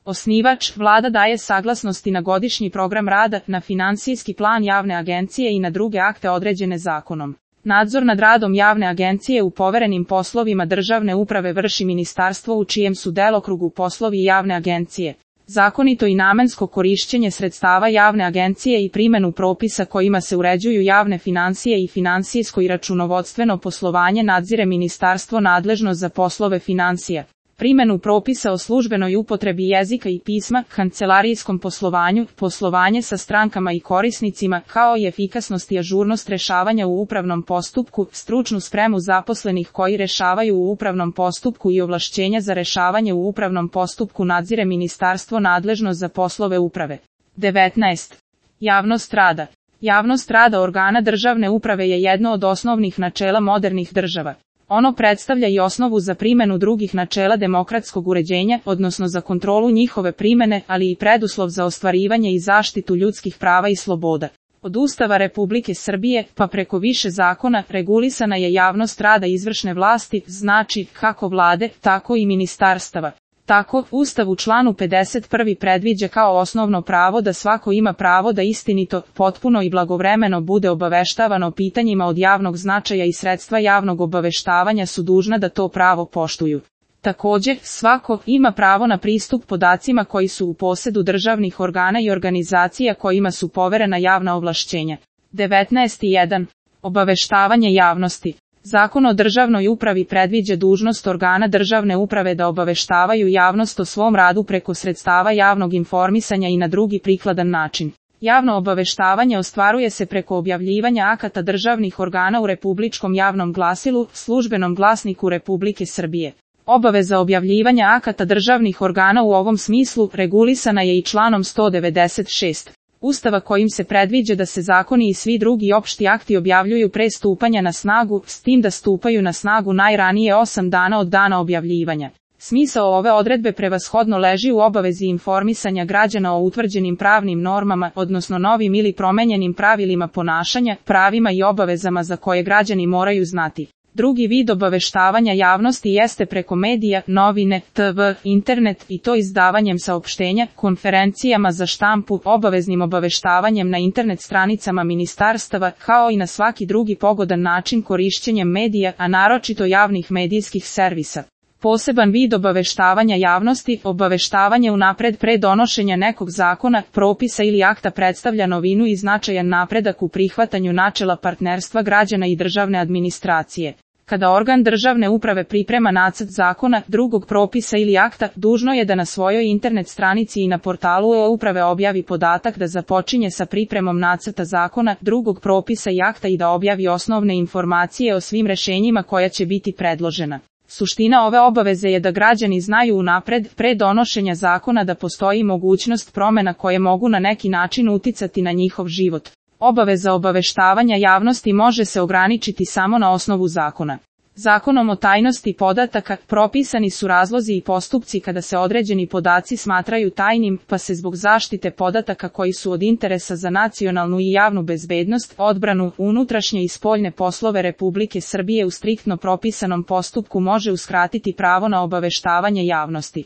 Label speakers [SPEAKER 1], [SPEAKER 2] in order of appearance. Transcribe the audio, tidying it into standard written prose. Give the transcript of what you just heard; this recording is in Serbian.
[SPEAKER 1] Osnivač, Vlada daje saglasnosti na godišnji program rada, na finansijski plan javne agencije i na druge akte određene zakonom. Nadzor nad radom javne agencije u poverenim poslovima državne uprave vrši ministarstvo u čijem su delokrugu poslovi javne agencije. Zakonito i namensko korišćenje sredstava javne agencije i primjenu propisa kojima se uređuju javne financije i finansijsko i računovodstveno poslovanje nadzire ministarstvo nadležno za poslove financija. Primjenu propisa o službenoj upotrebi jezika i pisma, kancelarijskom poslovanju, poslovanje sa strankama i korisnicima, kao i efikasnost i ažurnost rešavanja u upravnom postupku, stručnu spremu zaposlenih koji rešavaju u upravnom postupku i ovlašćenja za rešavanje u upravnom postupku nadzire ministarstvo nadležno za poslove uprave. 19. Javnost rada. Javnost rada organa državne uprave je jedno od osnovnih načela modernih država. Ono predstavlja i osnovu za primjenu drugih načela demokratskog uređenja, odnosno za kontrolu njihove primjene, ali i preduslov za ostvarivanje i zaštitu ljudskih prava i sloboda. Od Ustava Republike Srbije, pa preko više zakona, regulisana je javnost rada izvršne vlasti, znači, kako vlade, tako i ministarstava. Tako, Ustav u članu 51. predviđa kao osnovno pravo da svako ima pravo da istinito, potpuno i blagovremeno bude obaveštavano o pitanjima od javnog značaja i sredstva javnog obaveštavanja su dužna da to pravo poštuju. Također, svako ima pravo na pristup podacima koji su u posedu državnih organa i organizacija kojima su poverena javna ovlašćenja. 19.1. Obaveštavanje javnosti. Zakon o državnoj upravi predviđa dužnost organa državne uprave da obaveštavaju javnost o svom radu preko sredstava javnog informisanja i na drugi prikladan način. Javno obaveštavanje ostvaruje se preko objavljivanja akata državnih organa u Republičkom javnom glasilu, Službenom glasniku Republike Srbije. Obaveza objavljivanja akata državnih organa u ovom smislu regulisana je i članom 196. Ustava kojim se predviđa da se zakoni i svi drugi opšti akti objavljuju pre stupanja na snagu, s tim da stupaju na snagu najranije 8 dana od dana objavljivanja. Smisao ove odredbe prevashodno leži u obavezi informisanja građana o utvrđenim pravnim normama, odnosno novim ili promenjenim pravilima ponašanja, pravima i obavezama za koje građani moraju znati. Drugi vid obaveštavanja javnosti jeste preko medija, novine, TV, internet i to izdavanjem saopštenja, konferencijama za štampu, obaveznim obaveštavanjem na internet stranicama ministarstava, kao i na svaki drugi pogodan način korišćenjem medija, a naročito javnih medijskih servisa. Poseban vid obaveštavanja javnosti, obaveštavanje unapred pre donošenja nekog zakona, propisa ili akta predstavlja novinu i značajan napredak u prihvatanju načela partnerstva građana i državne administracije. Kada organ državne uprave priprema nacrt zakona, drugog propisa ili akta, dužno je da na svojoj internet stranici i na portalu e-uprave objavi podatak da započinje sa pripremom nacrta zakona, drugog propisa i akta i da objavi osnovne informacije o svim rešenjima koja će biti predložena. Suština ove obaveze je da građani znaju unapred, pre donošenja zakona da postoji mogućnost promjena koje mogu na neki način uticati na njihov život. Obaveza obaveštavanja javnosti može se ograničiti samo na osnovu zakona. Zakonom o tajnosti podataka propisani su razlozi i postupci kada se određeni podaci smatraju tajnim, pa se zbog zaštite podataka koji su od interesa za nacionalnu i javnu bezbednost, odbranu, unutrašnje i spoljne poslove Republike Srbije u striktno propisanom postupku može uskratiti pravo na obaveštavanje javnosti.